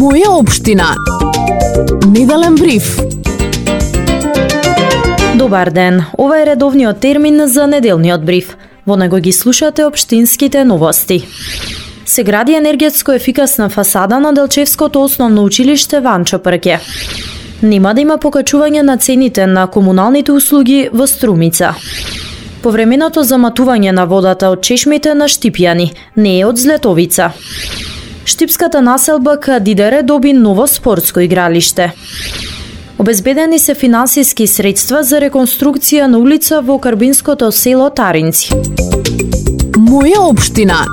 Моја општина. Неделен бриф. Добар ден, ова е редовниот термин за неделниот бриф. Во него ги слушате општинските новости. Се гради енергетско ефикасна фасада на Делчевското основно училиште Ванчо Прке. Нема да има покачување на цените на комуналните услуги во Струмица. Повременото заматување на водата од чешмите на Штипјани не е од Злетовица. Штипската населба Кадидере доби ново спортско игралиште. Обезбедени се финансиски средства за реконструкција на улица во карбинското село Таринци. Моја општина.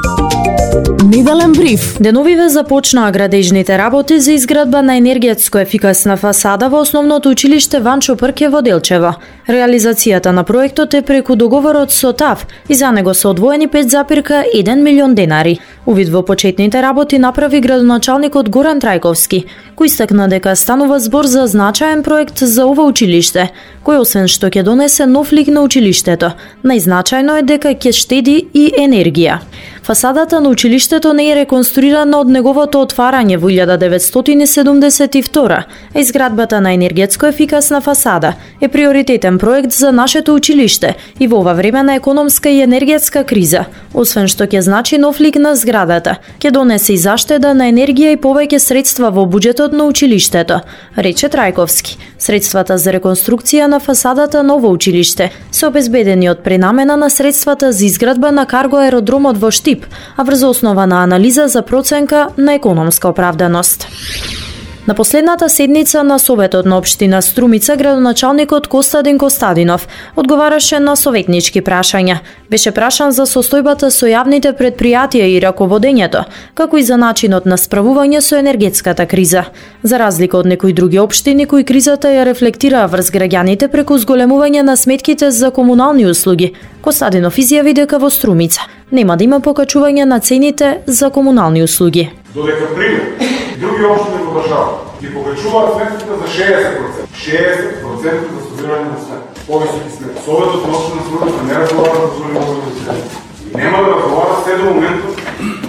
Неделен бриф. Деновиве започнаа градежните работи за изградба на енергетско ефикасна фасада во основното училиште Ванчо Прке во Делчево. Реализацијата на проектот е преку договорот со ТАВ и за него се одвоени 5,1 милион денари. Увид во почетните работи направи градоначалникот Горан Трајковски, кој истакна дека станува збор за значаен проект за ова училиште, кој освен што ќе донесе нов лик на училиштето, најзначајно е дека ќе штеди и енергија. Фасадата на училиштето не е реконструирана од неговото отварање во 1972, а изградбата на енергетско ефикасна фасада е приоритетен проект за нашето училиште и во ова време на економска и енергетска криза. Освен што ќе значи нов лик на зградата, ќе донесе и заштеда на енергија и повеќе средства во буџетот на училиштето, рече Трајковски. Средствата за реконструкција на фасадата на ово училиште се обезбедени од пренамена на средствата за изградба на карго аеродромот во Штип, а врз основа на анализа за проценка на економска оправданост. На последната седница на Советот на општина Струмица, градоначалникот Костадин Костадинов одговараше на советнички прашања. Беше прашан за состојбата со јавните предпријатија и раководењето, како и за начинот на справување со енергетската криза. За разлика од некои други општини кои кризата ја рефлектираа врз граѓаните преку зголемување на сметките за комунални услуги, Костадинов изјави дека во Струмица нема да има покачување на цените за комунални услуги. Додека пример, други општини во држава ги покачуваат сметките за 60%. 60% за собирање на сметки. Повисоки сметки. Советот на општина Струмица не разговара за собирање на сметки. Нема да разговара се до моментот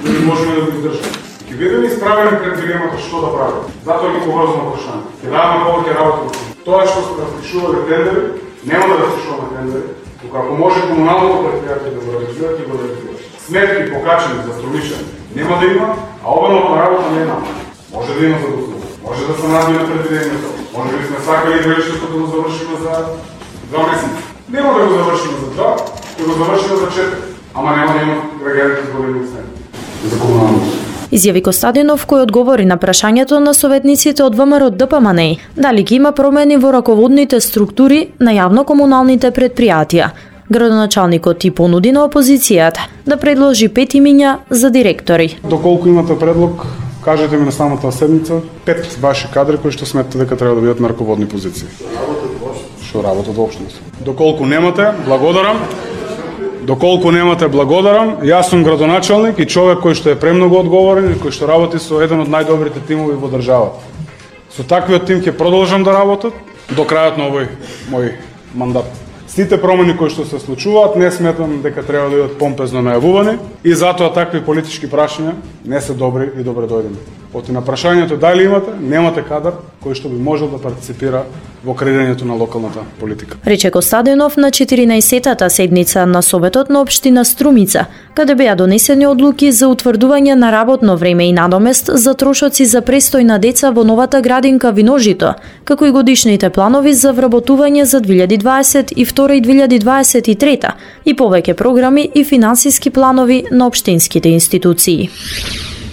да не можеме да го издржаме. Ќе бидеме исправени пред дилемата што да правиме. Затоа ги поврзано прашање. Ќе даваме повеќе работа. Тоа што се распишувале тендери, нема да распишуваме тендери. Тука ако може комуналното предпријатие да го реализира, ќе го реализира. Сметки покачени за Струмичани нема да има, а обанот на работа нема. Може да има за услуга, може да се надвине предвидението, може би сме сакали градишето да го завршиме за 2 месеци. Нема да го завршиме за 2, ќе го завршиме за 4, ама нема да има граѓаните зголемени сметки за комуналното. Изјави Костадинов, кој одговори на прашањето на советниците од ВМРО ДПМНЕ, дали ќе има промени во раководните структури на јавно-комуналните предпријатија. Градоначалникот и понуди на опозицијата да предложи 5 имиња за директори. Доколку имате предлог, кажете ми на самата седница 5 ваши кадри кои што сметате дека треба да бидат на раководни позиции. Што работат во општината. Доколку немате, благодарам. Доколку немате, благодарам. Јас сум градоначалник и човек кој што е премногу одговорен и кој што работи со еден од најдобрите тимови во државата. Со таквиот тим ќе продолжам да работам до крајот на овој мој мандат. Сите промени кои што се случуваат не сметам дека треба да бидат помпезно најавувани и затоа такви политички прашања не се добри и добре дојдени. Оти на прашањето дали имате, немате кадар кој што би можел да партиципира во креирањето на локалната политика. Рече Костадинов на 14-тата седница на Советот на општина Струмица, каде беа донесени одлуки за утврдување на работно време и надомест за трошоци за престој на деца во новата градинка Виножито, како и годишните планови за вработување за 2022 и 2023 и повеќе програми и финансиски планови на општинските институции.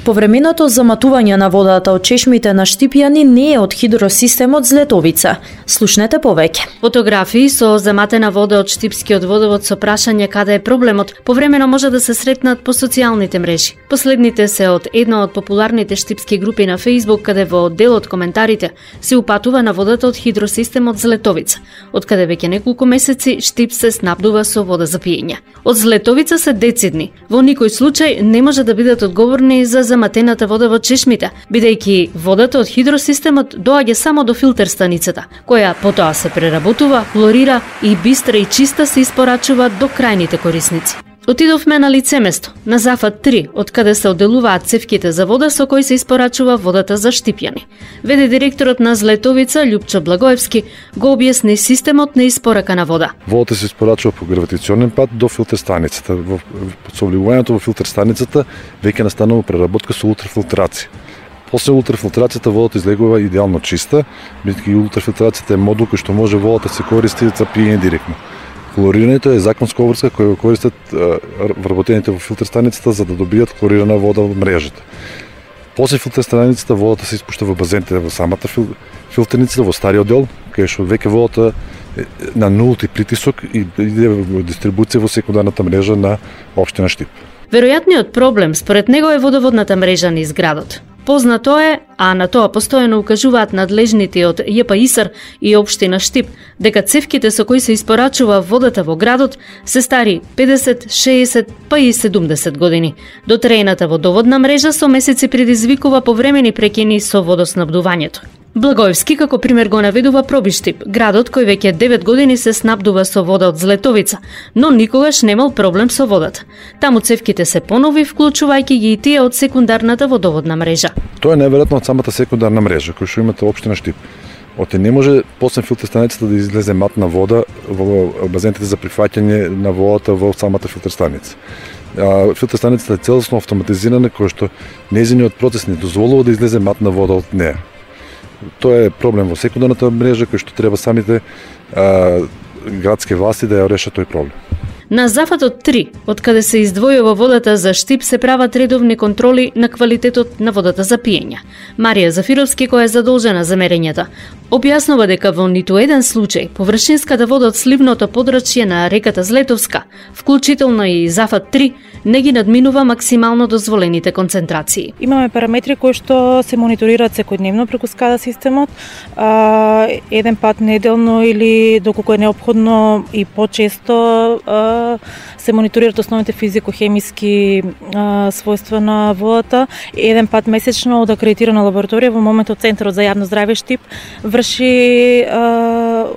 Повременото заматување на водата од чешмите на Штипјани не е од хидросистемот Злетовица. Слушнете повеќе. Фотографии со заматена вода од Штипскиот водовод со прашање каде е проблемот повремено може да се сретнат по социјалните мрежи. Последните се од една од популарните штипски групи на Facebook, каде во дел од коментарите се упатува на водата од хидросистемот Злетовица, од каде веќе неколку месеци Штип се снабдува со вода за пиење. Од Злетовица се децидни. Во никој случај не може да бидат одговорни за заматената вода во чешмите, бидејќи водата од хидросистемот доаѓа само до филтер станицата, која потоа се преработува, хлорира и бистра и чиста се испорачува до крајните корисници. Отидовме на лице место, на Зафат 3, од каде се одделуваат цевките за вода со кои се испорачува водата за Штипјани. Веде директорот на Злетовица, Љупчо Благоевски, го објасни системот на испорака на вода. Водата се испорачува по гравитационен пат до филтер станицата. Со вливувањето во филтер станицата веќе настанува преработка со ултрафилтрација. После ултрафилтрацијата водата излегува идеално чиста, бидејќи ултрафилтрацијата е модул кој што може водата се користи за пиење директно. Хлорирањето е законска обврска која го користат вработените во филтер станицата за да добијат хлорирана вода во мрежата. После филтер станицата водата се испушта во базените во самата филтерница во стариот дел, кај што веќе водата е на нулти притисок и иде во дистрибуција во секундарната мрежа на општина Штип. Веројатниот проблем според него е водоводната мрежа низ градот. Познато е, а на тоа постојано укажуваат надлежните од ЈПИСР и општина Штип, дека цевките со кои се испорачува водата во градот се стари 50, 60, па и 70 години. Дотреената водоводна мрежа со месеци предизвикува повремени прекини со водоснабдувањето. Благоевски како пример го наведува Пробиштип, градот кој веќе 9 години се снабдува со вода од Злетовица, но никогаш немал проблем со водата. Таму цевките се понови, вклучувајќи ги и тие од секундарната водоводна мрежа. Тоа е најверојатно од самата секундарна мрежа која што имате општина Штип. Оте не може после филтер станицата да излезе матна вода во базените за прифаќање на водата во самата филтер станица. Филтер станицата е целосно автоматизирана која што нејзиниот процес не дозволува да излезе матна вода од неа. Тоа е проблем во секундарната мрежа кој што треба самите градски власти да ја решат тој проблем. На Зафатот 3, од каде се издвојува водата за Штип, се прават редовни контроли на квалитетот на водата за пиење. Марија Зафировски, која е задолжена за мерењата, објаснува дека во ниту еден случај површинската вода од сливното подрачје на реката Злетовска, вклучително и Зафат 3, не ги надминува максимално дозволените концентрации. Имаме параметри кои што се мониторираат секојдневно преку SCADA системот, еден пат неделно или доколку е неопходно и почесто се мониторираат основните физико-хемиски својства на водата. Еден пат месечно од акредитирана лабораторија во моментот Центарот за јавно здравје Штип врши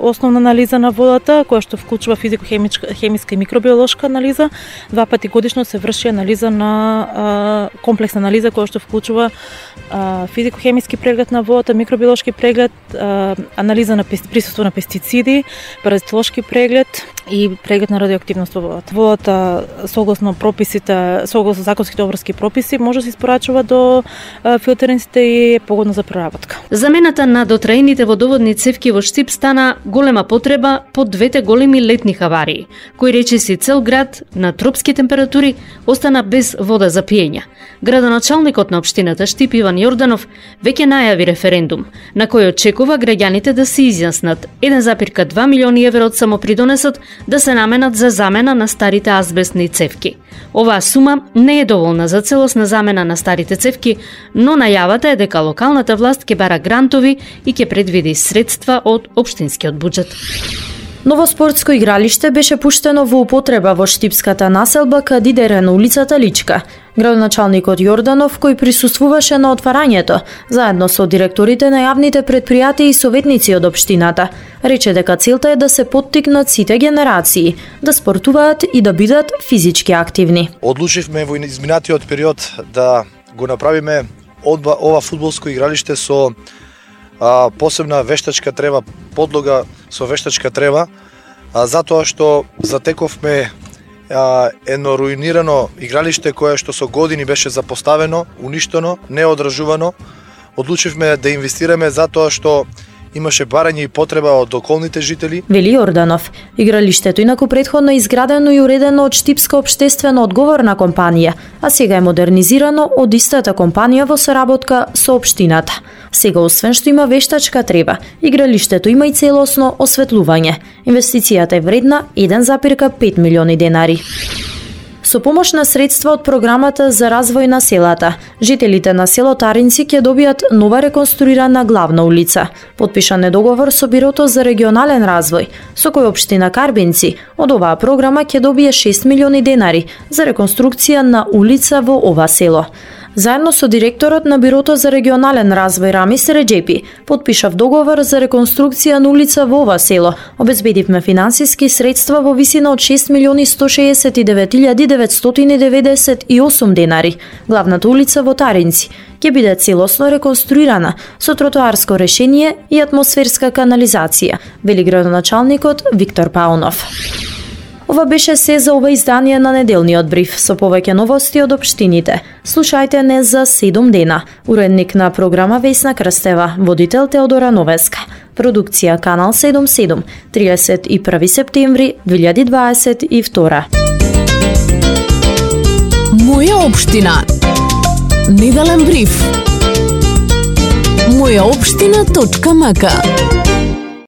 основна анализа на водата, која што вклучува физико-хемиска и микробиолошка анализа. 2 пати годишно се врши анализа на комплексна анализа која што вклучува физико-хемиски преглед на водата, микробиолошки преглед, анализа на присуство на пестициди, паразитолошки преглед и преглед на радиоактивност во водата. Водата согласно прописите, согласно законските обврски прописи, може да се испорачува до филтерниците и е погодна за преработка. Замената на дотраените водоводни цевки во Штип стана голема потреба по двете големи летни хаварии, кои речиси цел град на тропски температури остана без вода за пиење. Градоначалникот на општината Штип Иван Јорданов веќе најави референдум, на кој очекува граѓаните да се изјаснат 1,2 милиони евро од самопридонесот да се наменат за замена на старите азбестни цевки. Оваа сума не е доволна за целосна замена на старите цевки, но најавата е дека локалната власт ќе бара грантови и ќе предвиди средства од општинскиот буџет. Ново спортско игралиште беше пуштено во употреба во штипската населба Кадидере на улицата Личка. Градоначалникот Јорданов, кој присуствуваше на отварањето, заедно со директорите на јавните предпријатија и советници од општината, рече дека целта е да се поттикнат сите генерации да спортуваат и да бидат физички активни. Одлучивме во изминатиот период да го направиме ова фудбалско игралиште со посебна вештачка трева, подлога со вештачка трева, затоа што затековме едно руинирано игралиште кое што со години беше запоставено, уништено, неодржувано. Одлучивме да инвестираме затоа што имаше барање и потреба од околните жители. Вели Јорданов, игралиштето инаку претходно изградено и уредено од Штипска општествено одговорна компанија, а сега е модернизирано од истата компанија во соработка со општината. Сега, освен што има вештачка трева, игралиштето има и целосно осветлување. Инвестицијата е вредна 1,5 милиони денари. Со помош на средства од програмата за развој на селата, жителите на село Таринци ќе добијат нова реконструирана главна улица. Подпишан е договор со Бирото за регионален развој, со кој општина Карбинци од оваа програма ќе добие 6 милиони денари за реконструкција на улица во ова село. заедно со директорот на Бирото за регионален развој Рамис Реджепи, подпишав договор за реконструкција на улица во ова село. Обезбедивме финансиски средства во висина од 6.169.998 денари. Главната улица во Таринци ќе биде целосно реконструирана со тротоарско решение и атмосферска канализација, вели градоначалникот Виктор Паунов. Ова беше се за ова издание на неделниот бриф со повеќе новости од општините. Слушајте не за 7 дена. Уредник на програма Весна Крстева, водител Теодора Новеска. Продукција Канал 77, 31 септември 2022. Моја општина. Неделен бриф. Мојаопштина.мк